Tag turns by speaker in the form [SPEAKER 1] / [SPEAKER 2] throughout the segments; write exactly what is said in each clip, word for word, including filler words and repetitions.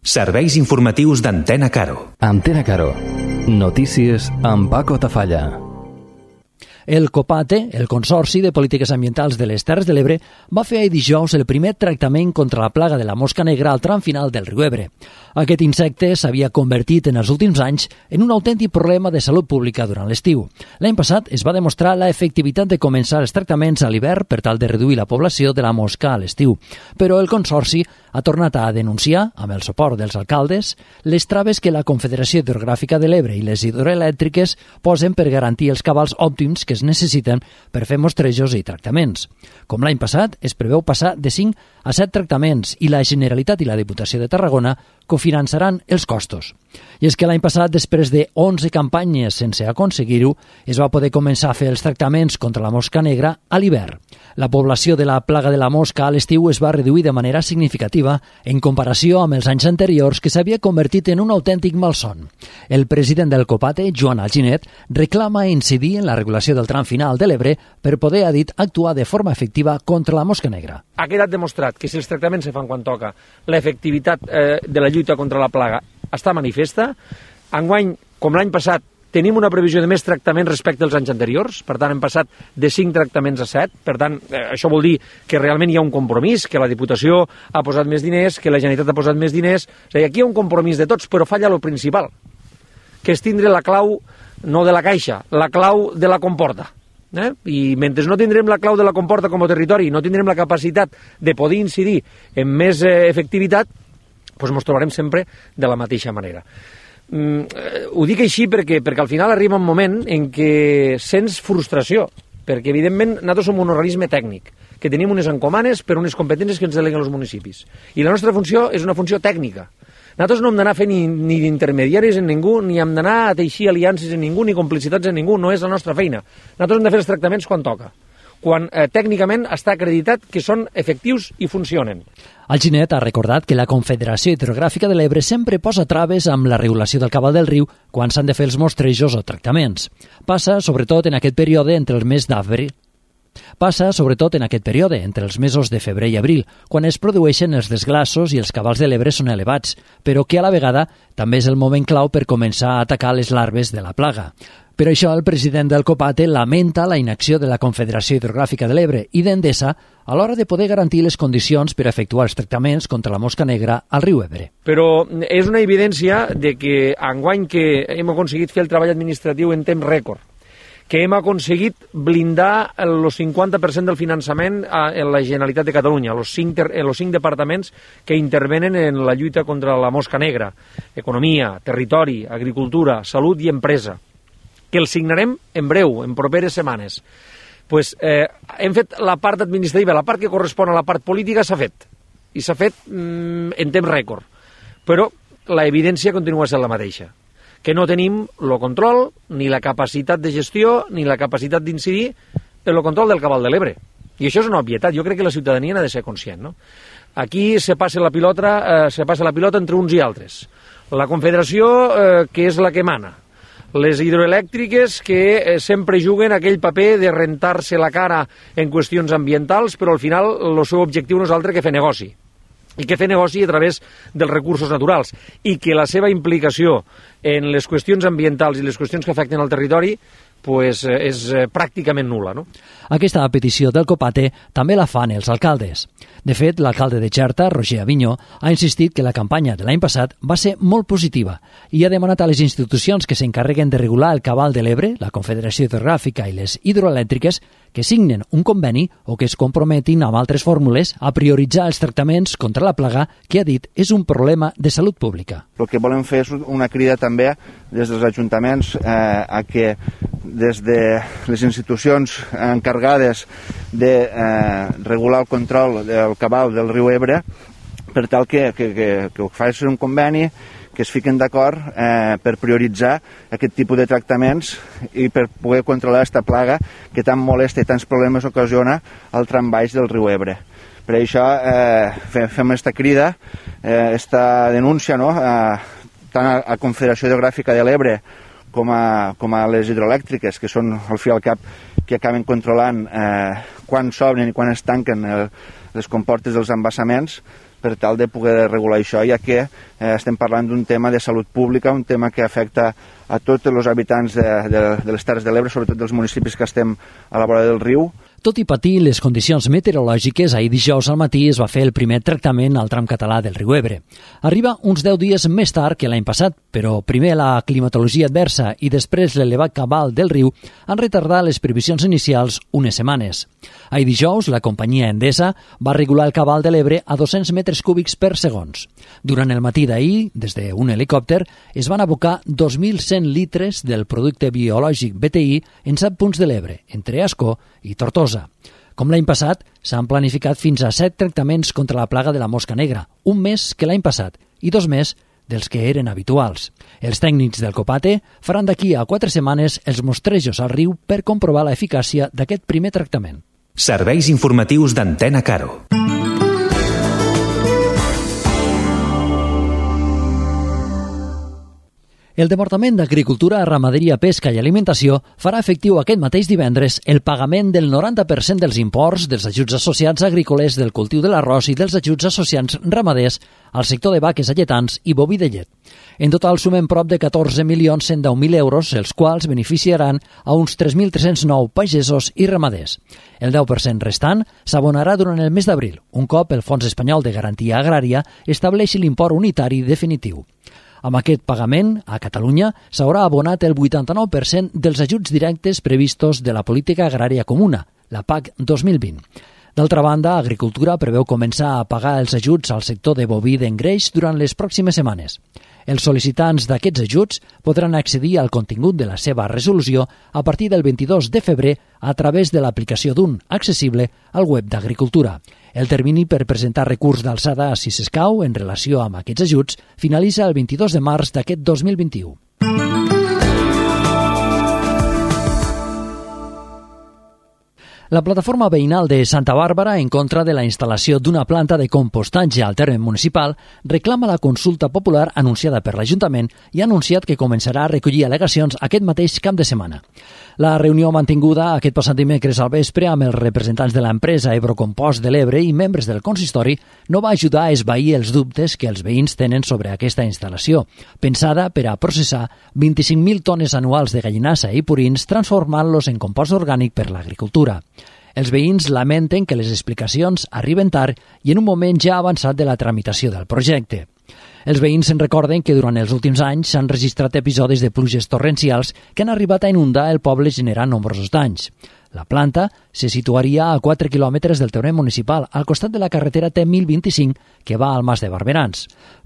[SPEAKER 1] Serveis informatius d'Antena Caro.
[SPEAKER 2] Antena Caro. Notícies amb Paco Tafalla.
[SPEAKER 3] El COPATE, el Consorci de Polítiques Ambientals de les Terres de l'Ebre, va fer ahir dijous el primer tractament contra la plaga de la mosca negra al tram final del riu Ebre. Aquest insecte s'havia convertit en els últims anys en un autèntic problema de salut pública durant l'estiu. L'any passat es va demostrar la efectivitat de començar els tractaments a l'hivern per tal de reduir la població de la mosca a l'estiu. Però el Consorci ha tornat a denunciar, amb el suport dels alcaldes, les traves que la Confederació Hidrogràfica de l'Ebre i les hidroelèctriques posen per garantir els cabals òptims que es necessiten per fer mostrejos i tractaments. Com l'any passat, es preveu passar de cinc a set tractaments i la Generalitat i la Diputació de Tarragona cofinançaran els costos. I és que l'any passat, després de onze campanyes sense aconseguir-ho, es va poder començar a fer els tractaments contra la mosca negra a l'hivern. La població de la plaga de la mosca a l'estiu es va reduir de manera significativa en comparació amb els anys anteriors, que s'havia convertit en un autèntic malson. El president del COPATE, Joan Alginet, reclama incidir en la regulació del tram final de l'Ebre per poder, ha dit, actuar de forma efectiva contra la mosca negra.
[SPEAKER 4] Ha quedat demostrat que si els tractaments se fan quan toca, l'efectivitat eh, de la lluita contra la plaga està manifesta. Enguany, com l'any passat, tenim una previsió de més tractaments respecte als anys anteriors, per tant hem passat de cinc tractaments a set, per tant eh, això vol dir que realment hi ha un compromís, que la Diputació ha posat més diners, que la Generalitat ha posat més diners, és a dir, aquí hi ha un compromís de tots, però falla lo principal, que és tindre la clau no de la caixa, la clau de la comporta. Eh? I mentre no tindrem la clau de la comporta com a territori, no tindrem la capacitat de poder incidir en més eh, efectivitat, doncs ens trobarem sempre de la mateixa manera. Mm, eh, ho dic així perquè, perquè al final arriba un moment en què sents frustració, perquè evidentment nosaltres som un organisme tècnic, que tenim unes encomanes per unes competències que ens deleguen els municipis. I la nostra funció és una funció tècnica. Nosaltres no hem d'anar a fer ni, ni d'intermediaris en ningú, ni hem d'anar a teixir aliances en ningú, ni complicitats en ningú, no és la nostra feina. Nosaltres hem de fer els tractaments quan toca, quan eh, tècnicament està acreditat que són efectius i funcionen.
[SPEAKER 3] Alginet ha recordat que la Confederació Hidrogràfica de l'Ebre sempre posa traves amb la regulació del cabal del riu quan s'han de fer els mostrejos o tractaments. Passa, sobretot, en aquest període entre el mes d'abril Passa, sobretot, en aquest període, entre els mesos de febrer i abril, quan es produeixen els desglassos i els cabals de l'Ebre són elevats, però que a la vegada també és el moment clau per començar a atacar les larves de la plaga. Per això, el president del COPATE lamenta la inacció de la Confederació Hidrogràfica de l'Ebre i d'Endesa a l'hora de poder garantir les condicions per efectuar els tractaments contra la mosca negra al riu Ebre.
[SPEAKER 4] Però és una evidència de que enguany que hem aconseguit fer el treball administratiu en temps rècord, que hem aconseguit blindar el cinquanta per cent del finançament en la Generalitat de Catalunya, els cinc, els cinc departaments que intervenen en la lluita contra la mosca negra, economia, territori, agricultura, salut i empresa, que el signarem en breu, en properes setmanes. Pues, eh, hem fet la part administrativa, la part que correspon a la part política s'ha fet, i s'ha fet mm, en temps rècord, però la evidència continua sent la mateixa, que no tenim el control, ni la capacitat de gestió, ni la capacitat d'incidir en el control del cabal de l'Ebre. I això és una obvietat. Jo crec que la ciutadania n'ha de ser conscient, no? Aquí se passa la pilota, eh, se passa la pilota entre uns i altres. La Confederació, eh, que és la que mana. Les hidroelèctriques, que eh, sempre juguen aquell paper de rentar-se la cara en qüestions ambientals, però al final el seu objectiu no és altre que fer negoci. I que fer negoci a través dels recursos naturals, i que la seva implicació en les qüestions ambientals i les qüestions que afecten al territori pues, és pràcticament nul·la. No?
[SPEAKER 3] Aquesta petició del COPATE també la fan els alcaldes. De fet, l'alcalde de Xerta, Roger Avinyó, ha insistit que la campanya de l'any passat va ser molt positiva i ha demanat a les institucions que s'encarreguen de regular el cabal de l'Ebre, la Confederació Hidrogràfica i les hidroelèctriques, que signen un conveni o que es comprometin amb altres fórmules a prioritzar els tractaments contra la plaga que, ha dit, és un problema de salut pública.
[SPEAKER 5] El que volem fer és una crida també des dels ajuntaments eh, a que des de les institucions encarregades de eh, regular el control del cabal del riu Ebre, per tal que, que, que, que faci un conveni, que es fiquen d'acord eh, per prioritzar aquest tipus de tractaments i per poder controlar aquesta plaga que tan molesta i tants problemes ocasiona al tram baix del riu Ebre. Per això eh, fem aquesta crida, aquesta eh, denúncia, no? eh, tant a la Confederació Hidrogràfica de l'Ebre com a, com a les hidroelèctriques, que són al fi i al cap que acaben controlant eh, quan s'obren i quan es tanquen el, les comportes dels embassaments, per tal de poder regular això, ja que eh, estem parlant d'un tema de salut pública, un tema que afecta a tots els habitants de, de, de les Terres de l'Ebre, sobretot dels municipis que estem a la vora del riu.
[SPEAKER 3] Tot i patir les condicions meteorològiques, ahir dijous al matí es va fer el primer tractament al tram català del riu Ebre. Arriba uns deu dies més tard que l'any passat, però primer la climatologia adversa i després l'elevat cabal del riu han retardat les previsions inicials unes setmanes. Ahir dijous, la companyia Endesa va regular el cabal de l'Ebre a dos-cents metres cúbics per segons. Durant el matí d'ahir, des d'un helicòpter, es van abocar dos mil cent litres del producte biològic B T I en set punts de l'Ebre, entre Ascó i Tortosa. Com l'any passat, s'han planificat fins a set tractaments contra la plaga de la mosca negra, un més que l'any passat i dos més dels que eren habituals. Els tècnics del Copate faran d'aquí a quatre setmanes els mostrejos al riu per comprovar l'eficàcia d'aquest primer tractament.
[SPEAKER 1] Serveis informatius d'Antena Caro.
[SPEAKER 3] El Departament d'Agricultura, Ramaderia, Pesca i Alimentació farà efectiu aquest mateix divendres el pagament del noranta per cent dels imports dels ajuts associats agrícoles del cultiu de l'arròs i dels ajuts associats ramaders al sector de vaques alletants i boví de llet. En total sumen prop de catorze milions cent deu mil euros, els quals beneficiaran a uns tres mil tres-cents nou pagesos i ramaders. El deu per cent restant s'abonarà durant el mes d'abril, un cop el Fons Espanyol de Garantia Agrària estableixi l'import unitari definitiu. Amb aquest pagament, a Catalunya s'haurà abonat el vuitanta-nou per cent dels ajuts directes previstos de la Política Agrària Comuna, la P A C dos mil vint. D'altra banda, Agricultura preveu començar a pagar els ajuts al sector de boví d'engreix durant les pròximes setmanes. Els sol·licitants d'aquests ajuts podran accedir al contingut de la seva resolució a partir del vint-i-dos de febrer a través de l'aplicació d'un accessible al web d'Agricultura. El termini per presentar recurs d'alçada, si s'escau, en relació amb aquests ajuts, finalitza el vint-i-dos de març d'aquest dos mil vint-i-u. La plataforma veïnal de Santa Bàrbara, en contra de la instal·lació d'una planta de compostatge al terme municipal, reclama la consulta popular anunciada per l'Ajuntament i ha anunciat que començarà a recollir al·legacions aquest mateix cap de setmana. La reunió mantinguda aquest passat dimecres al vespre amb els representants de l'empresa Ebrocompost de l'Ebre i membres del consistori no va ajudar a esvair els dubtes que els veïns tenen sobre aquesta instal·lació, pensada per a processar vint-i-cinc mil tones anuals de gallinassa i purins transformant-los en compost orgànic per l'agricultura. Els veïns lamenten que les explicacions arriben tard i en un moment ja avançat de la tramitació del projecte. Els veïns se'n recorden que durant els últims anys s'han registrat episodis de pluges torrencials que han arribat a inundar el poble generant nombrosos danys. La planta se situaria a quatre quilòmetres del terme municipal, al costat de la carretera T mil vint-i-cinc, que va al Mas de Barberans.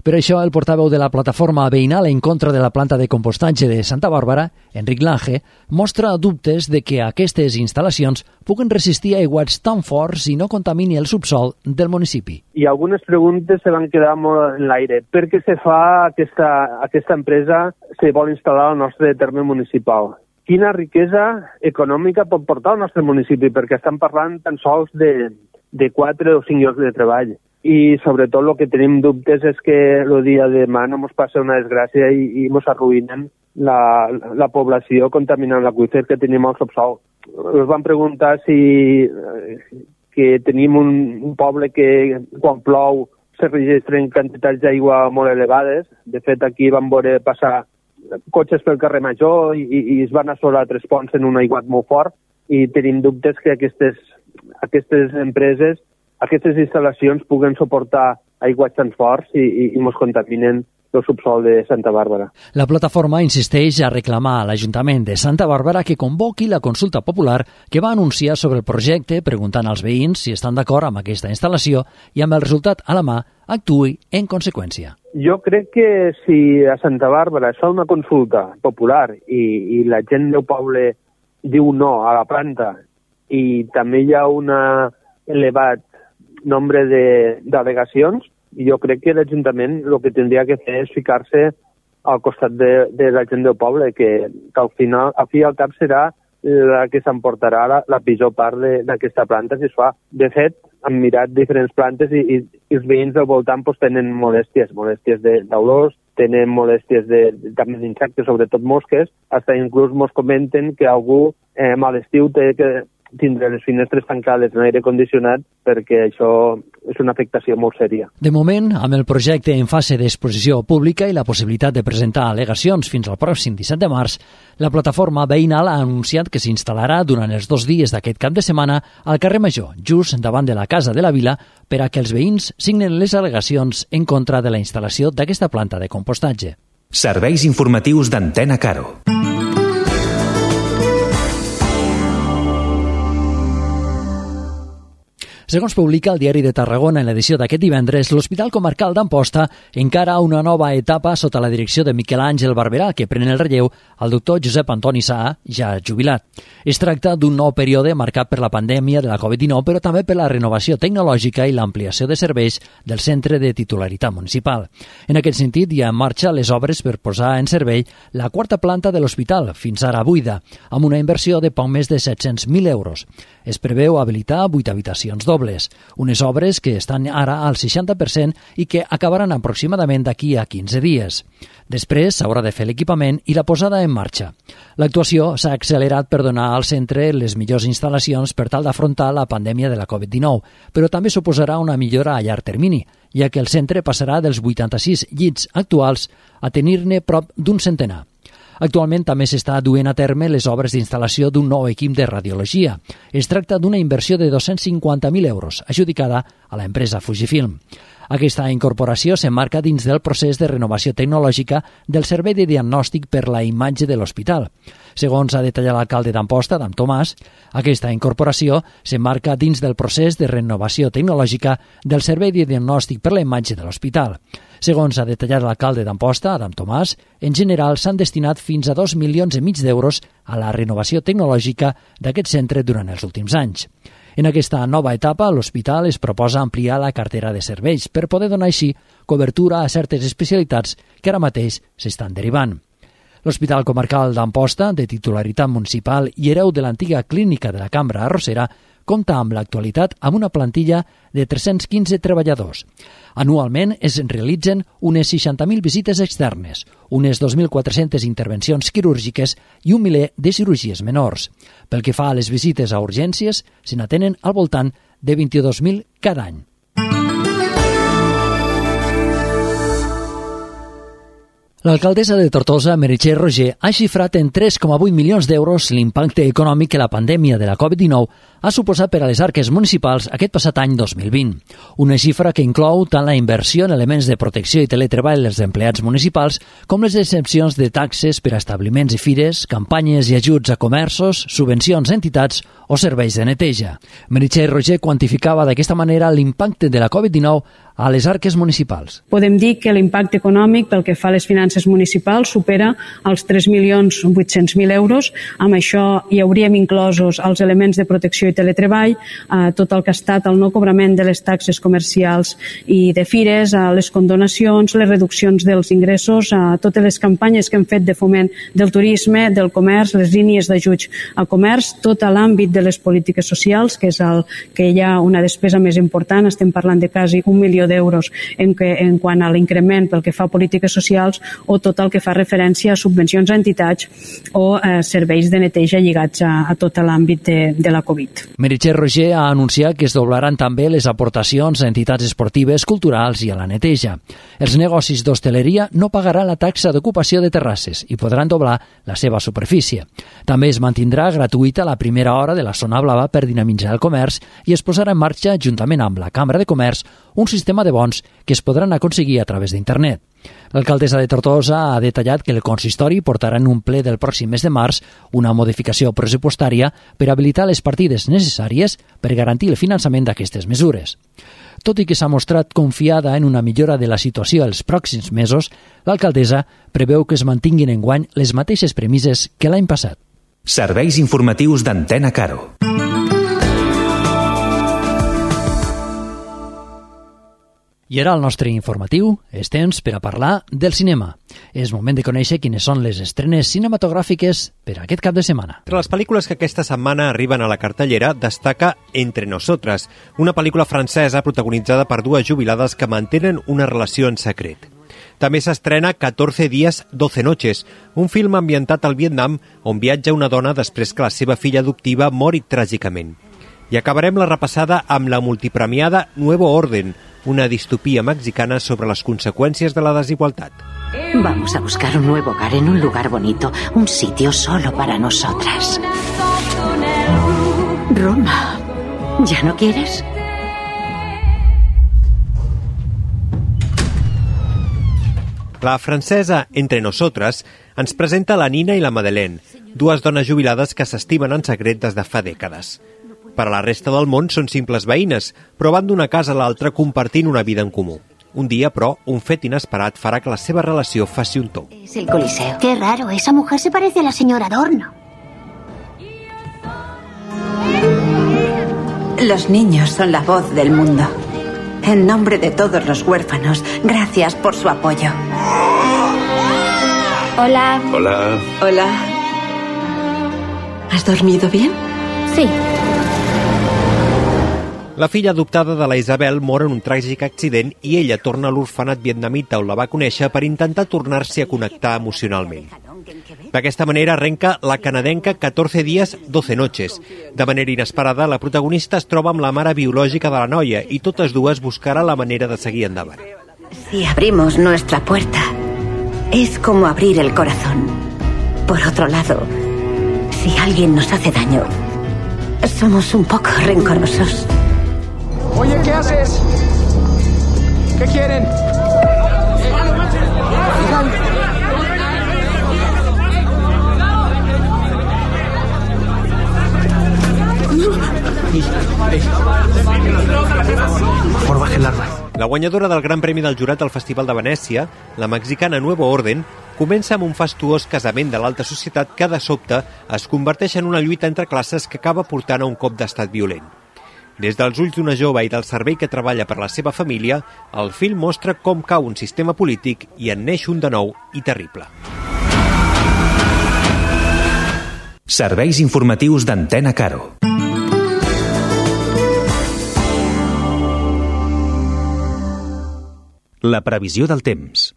[SPEAKER 3] Per això, el portaveu de la plataforma veïnal en contra de la planta de compostatge de Santa Bàrbara, Enric Lange, mostra dubtes de que aquestes instal·lacions puguen resistir aiguats tan forts i no contamini el subsol del municipi.
[SPEAKER 6] I algunes preguntes se van quedar molt en l'aire. Per què se fa aquesta, aquesta empresa se vol instal·lar al nostre terme municipal? Quina riquesa econòmica pot portar al nostre municipi, perquè estan parlant tan sols de, de quatre o cinc llocs de treball. I sobretot el que tenim dubtes és que el dia de demà no ens passa una desgràcia i, i ens arruïnen la, la població contaminant l'aqüífer que tenim al subsol. Ens van preguntar si que tenim un, un poble que quan plou se registren quantitats d'aigua molt elevades. De fet, aquí vam veure passar cotxes pel carrer Major i, i es van assolar tres ponts en un aiguat molt fort i tenim dubtes que aquestes, aquestes empreses, aquestes instal·lacions puguen suportar aiguats tan forts i, i, i ens contaminen el subsol de Santa Bàrbara.
[SPEAKER 3] La plataforma insisteix a reclamar a l'Ajuntament de Santa Bàrbara que convoqui la consulta popular que va anunciar sobre el projecte preguntant als veïns si estan d'acord amb aquesta instal·lació i amb el resultat a la mà actuï en conseqüència.
[SPEAKER 6] Jo crec que si a Santa Bàrbara es fa una consulta popular i, i la gent del poble diu no a la planta i també hi ha un elevat nombre d'al·legacions, jo crec que l'Ajuntament el que tindria que fer és ficar-se al costat de, de la gent del poble, que, que al final, al fi i al cap serà la que s'emportarà la, la pitjor part d'aquesta planta si es fa. De fet, hem mirat diferents plantes i, i, i els veïns del voltant pues, tenen molèsties, molèsties d'olors, tenen molèsties de, també d'insectes, sobretot mosques, fins inclús ens comenten que algú eh, a l'estiu té que tindre les finestres tancades en aire condicionat perquè això és una afectació molt sèria.
[SPEAKER 3] De moment, amb el projecte en fase d'exposició pública i la possibilitat de presentar al·legacions fins al pròxim disset de març, la plataforma veïnal ha anunciat que s'instal·larà durant els dos dies d'aquest cap de setmana al carrer Major, just davant de la Casa de la Vila, per a que els veïns signen les al·legacions en contra de la instal·lació d'aquesta planta de compostatge.
[SPEAKER 1] Serveis informatius d'Antena Caro.
[SPEAKER 3] Segons publica el Diari de Tarragona en l'edició d'aquest divendres, l'Hospital Comarcal d'Amposta encara una nova etapa sota la direcció de Miquel Àngel Barberà, que pren el relleu al doctor Josep Antoni Saà, ja jubilat. Es tracta d'un nou període marcat per la pandèmia de la covid dinou, però també per la renovació tecnològica i l'ampliació de serveis del centre de titularitat municipal. En aquest sentit, hi ha en marxa les obres per posar en servei la quarta planta de l'hospital, fins ara buida, amb una inversió de poc més de set-cents mil euros. Es preveu habilitar vuit habitacions dobles, unes obres que estan ara al seixanta per cent i que acabaran aproximadament d'aquí a quinze dies. Després s'haurà de fer l'equipament i la posada en marxa. L'actuació s'ha accelerat per donar al centre les millors instal·lacions per tal d'afrontar la pandèmia de la covid dinou, però també suposarà una millora a llarg termini, ja que el centre passarà dels vuitanta-sis llits actuals a tenir-ne prop d'un centenar. Actualment també s'està duent a terme les obres d'instal·lació d'un nou equip de radiologia. Es tracta d'una inversió de dos-cents cinquanta mil euros, adjudicada a l'empresa Fujifilm. Aquesta incorporació s'emmarca dins del procés de renovació tecnològica del servei de diagnòstic per la imatge de l'hospital. Segons ha detallat l'alcalde d'Amposta, Adam Tomàs, aquesta incorporació s'emmarca dins del procés de renovació tecnològica del servei de diagnòstic per la imatge de l'hospital. Segons ha detallat l'alcalde d'Amposta, Adam Tomàs, en general s'han destinat fins a dos milions i mig d'euros a la renovació tecnològica d'aquest centre durant els últims anys. En aquesta nova etapa, l'hospital es proposa ampliar la cartera de serveis per poder donar així cobertura a certes especialitats que ara mateix s'estan derivant. L'Hospital Comarcal d'Amposta, de titularitat municipal i hereu de l'antiga clínica de la Cambra Arrossera, compta amb l'actualitat amb una plantilla de tres-cents quinze treballadors. Anualment es realitzen unes seixanta mil visites externes, unes dos mil quatre-centes intervencions quirúrgiques i un miler de cirurgies menors. Pel que fa a les visites a urgències, se n'atenen al voltant de vint-i-dos mil cada any. L'alcaldessa de Tortosa, Meritxell Roger, ha xifrat en tres coma vuit milions d'euros l'impacte econòmic que la pandèmia de la covid dinou ha suposat per a les arques municipals aquest passat any dos mil vint. Una xifra que inclou tant la inversió en elements de protecció i teletreball dels empleats municipals com les exempcions de taxes per a establiments i fires, campanyes i ajuts a comerços, subvencions a entitats o serveis de neteja. Meritxell Roger quantificava d'aquesta manera l'impacte de la covid dinou a les arques municipals.
[SPEAKER 7] Podem dir que l'impacte econòmic pel que fa a les finances municipals supera els tres milions vuit-cents mil euros. Amb això hi hauríem inclosos els elements de protecció i teletreball, eh, tot el que ha estat el no cobrament de les taxes comercials i de fires, eh, les condonacions, les reduccions dels ingressos, eh, totes les campanyes que hem fet de foment del turisme, del comerç, les línies d'ajuts a comerç, tot l'àmbit de les polítiques socials, que és el que hi ha una despesa més important, estem parlant de quasi un milió d'euros en, que, en quant a l'increment pel que fa a polítiques socials o tot el que fa referència a subvencions a entitats o eh, serveis de neteja lligats a, a tot l'àmbit de, de la Covid.
[SPEAKER 3] Meritxell Roger ha anunciat que es doblaran també les aportacions a entitats esportives, culturals i a la neteja. Els negocis d'hostaleria no pagaran la taxa d'ocupació de terrasses i podran doblar la seva superfície. També es mantindrà gratuïta la primera hora de la zona blava per dinamitzar el comerç i es posarà en marxa, juntament amb la Cambra de Comerç, un sistema de bons que es podran aconseguir a través d'internet. L'alcaldessa de Tortosa ha detallat que el consistori portarà en un ple del pròxim mes de març una modificació pressupostària per habilitar les partides necessàries per garantir el finançament d'aquestes mesures. Tot i que s'ha mostrat confiada en una millora de la situació els pròxims mesos, l'alcaldessa preveu que es mantinguin enguany les mateixes premisses que l'any passat.
[SPEAKER 1] Serveis informatius d'Antena Caro.
[SPEAKER 3] I ara el nostre informatiu és temps per a parlar del cinema. És moment de conèixer quines són les estrenes cinematogràfiques per a aquest cap de setmana.
[SPEAKER 8] Entre les pel·lícules que aquesta setmana arriben a la cartellera destaca Entre Nosotras, una pel·lícula francesa protagonitzada per dues jubilades que mantenen una relació en secret. També s'estrena catorze días, doce noches, un film ambientat al Vietnam on viatja una dona després que la seva filla adoptiva mori tràgicament. I acabarem la repassada amb la multipremiada Nuevo Orden, una distopia mexicana sobre les conseqüències de la desigualtat.
[SPEAKER 9] Vamos a buscar un nuevo hogar en un lugar bonito, un sitio solo para nosotras. Roma, ¿ya no quieres?
[SPEAKER 8] La francesa Entre Nosotres ens presenta la Nina i la Madeleine, dues dones jubilades que s'estimen en secret des de fa dècades. Per a la resta del món són simples veïnes, però van d'una casa a l'altra compartint una vida en comú. Un dia, però, un fet inesperat farà que la seva relació faci un tomb.
[SPEAKER 10] Es el Coliseo. Qué raro, esa mujer se parece a la señora Adorno.
[SPEAKER 9] Los niños son la voz del mundo. En nombre de todos los huérfanos, gracias por su apoyo.
[SPEAKER 10] Hola.
[SPEAKER 11] Hola.
[SPEAKER 9] Hola. ¿Has dormido bien?
[SPEAKER 10] Sí.
[SPEAKER 8] La filla adoptada de la Isabel mor en un tràgic accident i ella torna a l'orfenat vietnamita on la va conèixer per intentar tornar-s'hi a connectar emocionalment. D'aquesta manera arrenca la canadenca catorze días, doce noches. De manera inesperada, la protagonista es troba amb la mare biològica de la noia i totes dues buscarà la manera de seguir endavant.
[SPEAKER 9] Si abrimos nuestra puerta, es como abrir el corazón. Por otro lado, si alguien nos hace daño, somos un poco rencorosos.
[SPEAKER 12] Oye, ¿qué haces? ¿Qué quieren?
[SPEAKER 11] Por bajar el arma.
[SPEAKER 8] La guanyadora del Gran Premi del Jurat al Festival de Venècia, la mexicana Nuevo Orden, comença amb un fastuós casament de l'alta societat que, de sobte, es converteix en una lluita entre classes que acaba portant a un cop d'estat violent. Des dels ulls d'una jove i del servei que treballa per la seva família, el film mostra com cau un sistema polític i en neix un de nou i terrible.
[SPEAKER 1] Serveis informatius d'Antena Caro. La previsió del temps.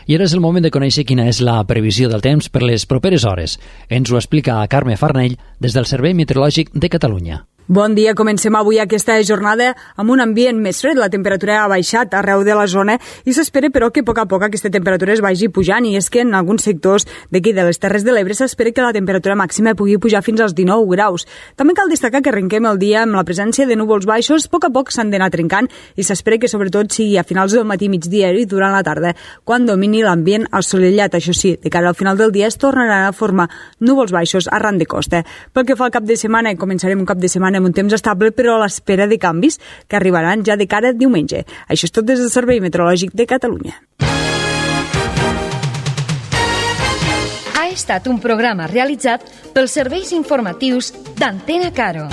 [SPEAKER 3] I ara és el moment de conèixer quina és la previsió del temps per les properes hores. Ens ho explica Carme Farnell des del Servei Meteorològic de Catalunya.
[SPEAKER 13] Bon dia, comencem avui aquesta jornada amb un ambient més fred. La temperatura ha baixat arreu de la zona i s'espera, però, que a poc a poc aquesta temperatura es vagi pujant, i és que en alguns sectors d'aquí de les Terres de l'Ebre s'espera que la temperatura màxima pugui pujar fins als dinou graus. També cal destacar que arrenquem el dia amb la presència de núvols baixos. A poc a poc s'han d'anar trencant i s'espera que sobretot sigui a finals del matí, migdia i durant la tarda quan domini l'ambient assolellat. Això sí, de cara al final del dia es tornaran a formar núvols baixos arran de costa. Pel que fa al cap de setmana, començarem un cap de setmana amb un temps estable, però a l'espera de canvis que arribaran ja de cara a diumenge. Això és tot des del Servei Meteorològic de Catalunya.
[SPEAKER 14] Ha estat un programa realitzat pels serveis informatius d'Antena Caro.